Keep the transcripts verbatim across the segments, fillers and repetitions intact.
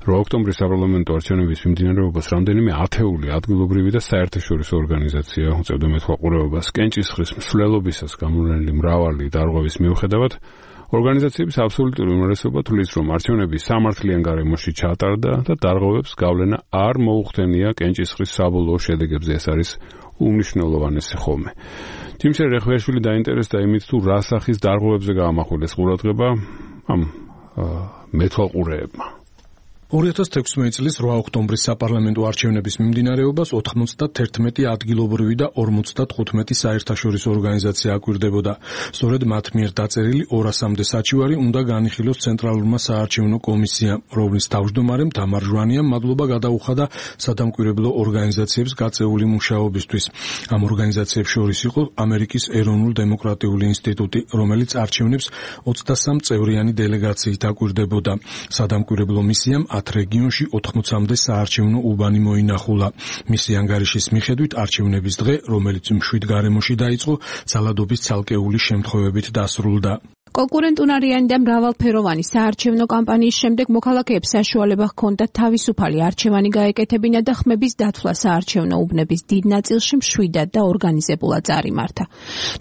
რვა ოქტომბრის საპარლამენტო არჩევნების მიმდინარეობას რამდენიმე ათეული ადგილობრივი და საერთაშორისო ორგანიზაცია უწევდა მეთვალყურეობას კენჭისყრის მსვლელობისას გამოვლენილი მრავალი დარღვევის მიუხედავად. ორგანიზაციების აბსოლუტური უმრავლესობა თვლის, რომ არჩევნები სამართლიან გარემოში ჩატარდა და დარღვევებს გავლენა არ მოუხდენია კენჭისყრის საბოლოო შედეგებზე. ეს არის უმნიშვნელოვანესი ხოლმე. თიმშე რეხვიაშვილი დაინტერესდა იმით, თუ რა სახის დარღვევებზე გაამახვილეს ყურადღება ამ მეთვალყურეებმა. ორი ათას თექვსმეტი წლის რვა ოქტომბრის საპარლამენტო არჩევნების მიმდინარეობას ოთხმოცდათერთმეტი ადგილობრივი და ორმოცდათხუთმეტი საერთაშორისო ორგანიზაცია აკვირდებოდა. სწორედ მათ მიერ დაწერილი ორასამდე საჩივარი უნდა განიხილოს ცენტრალურმა საარჩევნო კომისიამ, რომლის თავმჯდომარემ თამარ ჟვანიამ მადლობა გადაუხადა სადამკვირვებლო ორგანიზაციებს გაწეული მუშაობისთვის. ამ ორგანიზაციებს შორის იყო ამერიკის ეროვნულ დემოკრატიული ინსტიტუტი, რომელიც არჩევნებს ოცდასამ წევრიანი დელეგაციით აკვირდებოდა. სადამკვირვებლო მისიამ ათ რეგიონში ოთხმოცამდე საარჩევნო უბანი მოინახულა. მისი ანგარიშის მიხედვით არჩევნების დღე, რომელიც მშვიდ გარემოში დაიწყო, ძალადობის ცალკეული შემთხვევებით დასრულდა. კონკურენტუნარიანი და მრავალფეროვანი საარჩევნო კამპანიის შემდეგ მოქალაქეებს საშუალება ჰქონდათ თავისუფალი არჩევანი გაეკეთებინა და ხმების დათვლა საარჩევნო უბნების დიდ ნაწილში მშვიდად და ორგანიზებულად წარიმართა.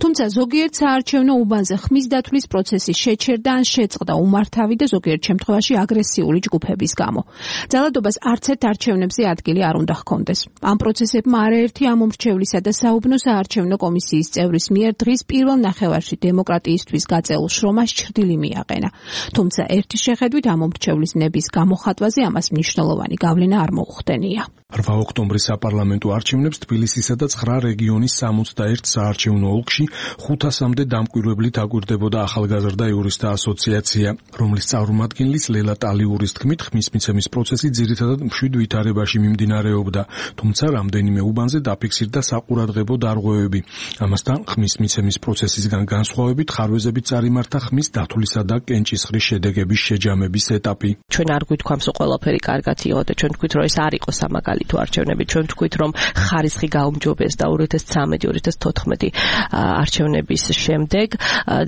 თუმცა ზოგიერთ საარჩევნო უბანზე ხმის დათვლის პროცესი შეჩერდა ან შეწყდა უმართავი და ზოგიერთ შემთხვევაში აგრესიული ჯგუფების გამო. ძალადობას არც ერთ არჩევნებზე ადგილი არ უნდა ჰქონდეს. ამ პროცესებმა არაერთი ამომრჩევლისა და საუბნო საარჩევნო კომისიის წევრის მიერ დღის პირველ ნახევარში დემოკრატიისთვის გაწეულ შრომას ჩრდილი მიაყენა. თუმცა ერთი შეხედვით ამომრჩევლის ნების გამოხატვაზე ამას მნიშვნელოვანი გავლენა არ მოუხდენია. რვა ოქტომბრის საპარლამენტო არჩევნებს თბილისისა და ცხრა რეგიონის სამოცდაერთ საარჩევნო ოლქში ხუთასამდე დამკვირვებლით აკვირდებოდა ახალგაზრდა იურისტთა ასოციაცია, რომლის წარმომადგენლის ლელა ტალიურის თქმით, ხმის მიცემის პროცესი ძირითადად მშვიდ ვითარებაში მიმდინარეობდა, თუმცა რამდენიმე უბანზე დაფიქსირდა საყურადღებო დარღვევები. ამასთან ხმის მიცემის პროცესისგან განსხვავებით ხარვეზებით წარიმართა ხმის დათვლისა და კენჭისყრის შედეგების შეჯამების ეტაპი. ჩვენ არ გვითქვამს, რომ ყველაფერი კარგად იყო და ჩვენ თქვით, რომ ეს არ იყო სამაგალი თუ არჩევნები, ჩვენ თქვით, რომ ხარისხი გაუმჯობეს და ორი ათას ცხრამეტი ორი ათას თოთხმეტი არჩევნების შემდეგ.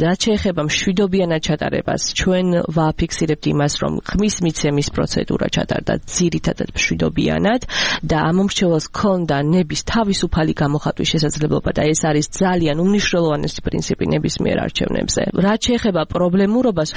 რაც შეეხება მშვიდობიანად ჩატარებას, ჩვენ ვაფიქსირებთ იმას, რომ ხმის მიცემის პროცედურა ჩატარდა ძირითადად მშვიდობიანად და ამომრჩეველს ჰქონდა ნების თავისუფალი გამოხატვის შესაძლებლობა და ეს არის ძალიან უმნიშვნელოვანესი პრინციპი ნებისმიერ არჩევნებზე. რაც შეეხება პრობლემურობას,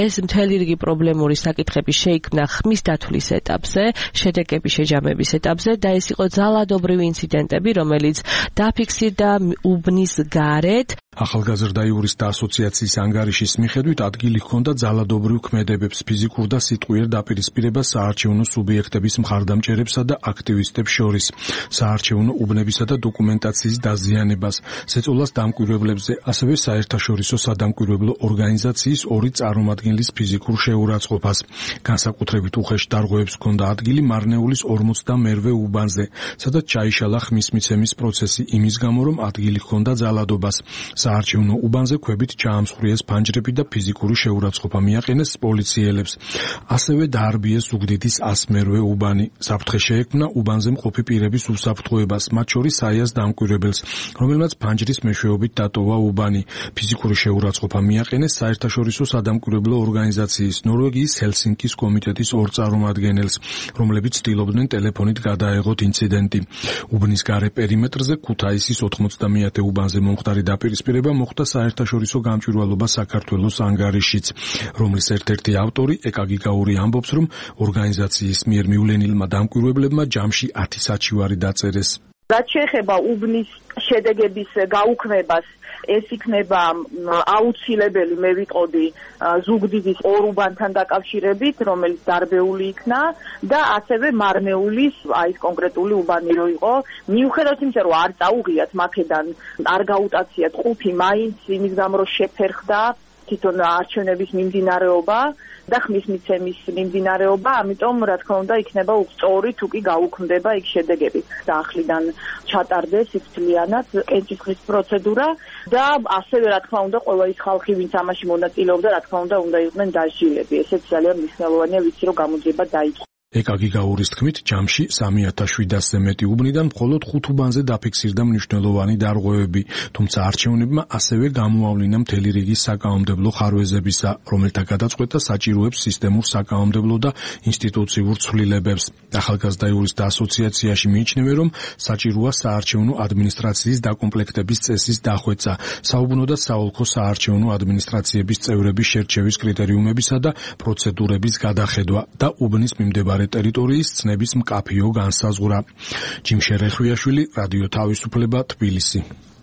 ეს მთელი რიგი პრობლემური საკითხები შეიქმნა ხმის დათვლის ეტაპზე, შედეგების შეჯამების ეტაპზე და ეს იყო ძალადობრივი ინციდენტები, რომელიც დაფიქსირდა უბნის გარეთ. ახალგაზრდა იურისტთა ასოციაციის ანგარიშის მიხედვით ადგილი ჰქონდა ძალადობრივ ქმედებებს, ფიზიკურ და სიტყვიერ დაპირისპირებას საარჩევნო სუბიექტების მხარდამჭერებსა და აქტივისტებს შორის, საარჩევნო უბნებისა და დოკუმენტაციის დაზიანებას, ზეწოლას დამკვირვებლებზე, ასევე საერთაშორისო სადამკვირვებლო ორგანიზაციის ორი წარმომადგენლის ფიზიკურ შეურაცხყოფას. განსაკუთრებით უხეშ დარღვევებს ჰქონდა ადგილი მარნეულის ორმოცდამერვე უბანზე, სადაც ჩაიშალა ხმის მიცემის პროცესი იმის გამო, რომ ადგილი ჰქონდა ძალადობას. საარჩევნო უბანზე ქვებით ჩაამსხვრიეს ფანჯრები და ფიზიკური შეურაცხყოფა მიაყენეს პოლიციელებს. ასევე დაარბიეს ზუგდიდის ასმერვე უბანი. საფრთხე შეექმნა უბანზე მყოფი პირების უსაფრთხოებას, მათ შორის საიას დამკვირვებელს, რომელმაც ფანჯრის მეშვეობით დატოვა უბანი. ფიზიკური შეურაცხყოფა მიაყენეს საერთაშორისო სადამკვირვებლო ორგანიზაციის, ნორვეგიის ჰელსინკის კომიტეტის ორ წარმომადგენელს, რომლებიც ცდილობდნენ ტელეფონით გადაეღოთ ინციდენტი. უბნის გარე პერიმეტრზე ქუთაისის ოთხმოცდამეათე უბანზე მომხდარი დაპირისპირება მოხდა საერთაშორისო გამჭვირვალობა საქართველოს ანგარიშიც, რომლის ერთ-ერთი ავტორი ეკაგიგაური ამბობს, რომ ორგანიზაციის მიერ მივლენილმა დამკვირვებლებმა ჯამში ათი საჩივარი დაწერეს. რაც შეეხება უბნის შედეგების გაუქმებას, ეს იქნება აუცილებელი, მე ვიტყოდი, ზუგდიდის ორ უბანთან დაკავშირებით, რომელიც დარბეული იქნა და ასევე მარნეულის, აი ეს კონკრეტული უბანი რო იყო, მიუხედავად იმისა, რომ არ წაუღიათ მაქედან, არ გაუტაციათ ყუთი, მაინც იმის გამო რომ შეფერხდა თვითონ არჩევნების მიმდინარეობა და ხმის მიცემის მიმდინარეობა, ამიტომ რა თქმა უნდა იქნება სწორი თუ კი გაუქმდება იქ შედეგები. და ახლიდან ჩატარდეს სიფთლიანად კენჭისყრის პროცედურა და ასევე რა თქმა უნდა ყველა ის ხალხი, ვინც ამაში მონაწილეობდა, რა თქმა უნდა უნდა იყვნენ დასჯილები. ესეც ძალიან მნიშვნელოვანია, ვიცი რომ გამოძიება დაიწყო. ეკაგიგაურის თქმით, ჯამში სამი ათას შვიდასზე მეტი უბნიდან მხოლოდ ხუთ უბანზე დაფიქსირდა მნიშვნელოვანი დარღვევები, თუმცა არჩევნებმა ასევე გამოავლინა მთელი რიგი საკანონმდებლო ხარვეზებისა, რომელთა გადაწყვეტა საჭიროებს სისტემურ საკანონმდებლო და ინსტიტუციურ ცვლილებებს. ახალგაზრდა იურისტთა ასოციაციაში მიიჩნევენ, რომ საჭიროა საარჩევნო ადმინისტრაციის დაკომპლექტების წესის დახვეწა, საუბნო და საოლქო საარჩევნო ადმინისტრაციების წევრების შერჩევის კრიტერიუმებისა და პროცედურების გადახედვა და უბნის მიმდებარე ტერიტორიის ცნების მკაფიო განსაზღვრა. ჯიმ შერეხვიაშვილი, რადიო თავისუფლება, თბილისი.